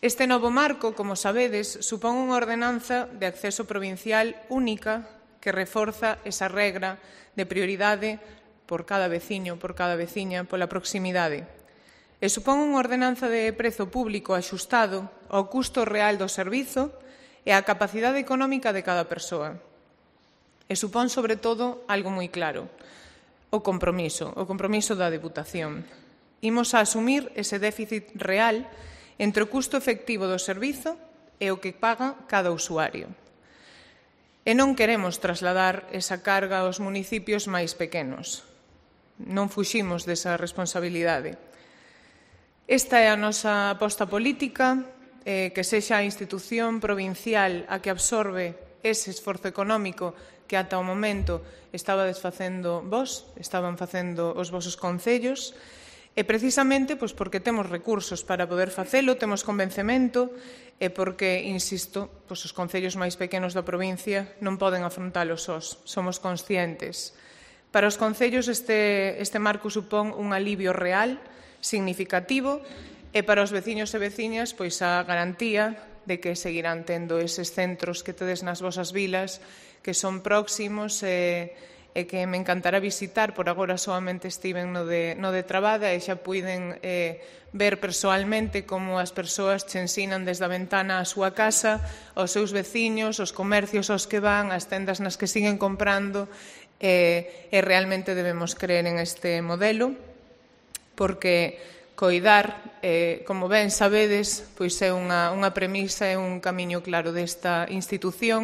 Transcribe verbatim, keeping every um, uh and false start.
Este novo marco, como sabedes, supón unha ordenanza de acceso provincial única que reforza esa regra de prioridade por cada veciño, por cada veciña, pola proximidade. E supón unha ordenanza de prezo público axustado ao custo real do servizo e á capacidade económica de cada persoa. E supón, sobre todo, algo moi claro, o compromiso, o compromiso da Deputación. Imos a asumir ese déficit real entre o custo efectivo do servizo e o que paga cada usuario. E non queremos trasladar esa carga aos municipios máis pequenos. Non fuximos desa responsabilidade. Esta é a nosa aposta política, eh, que sexa a institución provincial a que absorbe ese esforzo económico que ata o momento estabades facendo vos, estaban facendo os vosos concellos, e precisamente pois, porque temos recursos para poder facelo, temos convencemento e porque, insisto, pois, os concellos máis pequenos da provincia non poden afrontalo sós, somos conscientes. Para os concellos este, este marco supón un alivio real, significativo, e para os veciños e veciñas pois a garantía de que seguirán tendo eses centros que tedes nas vosas vilas, que son próximos e, e que me encantará visitar. Por agora solamente estiven no de, no de Trabada e xa puiden eh, ver persoalmente como as persoas che ensinan desde a ventana a súa casa, aos seus veciños, os comercios aos que van, as tendas nas que siguen comprando, e, e realmente debemos creer en este modelo, porque coidar, eh, como ben sabedes, pois é unha, unha premisa e un camiño claro desta institución,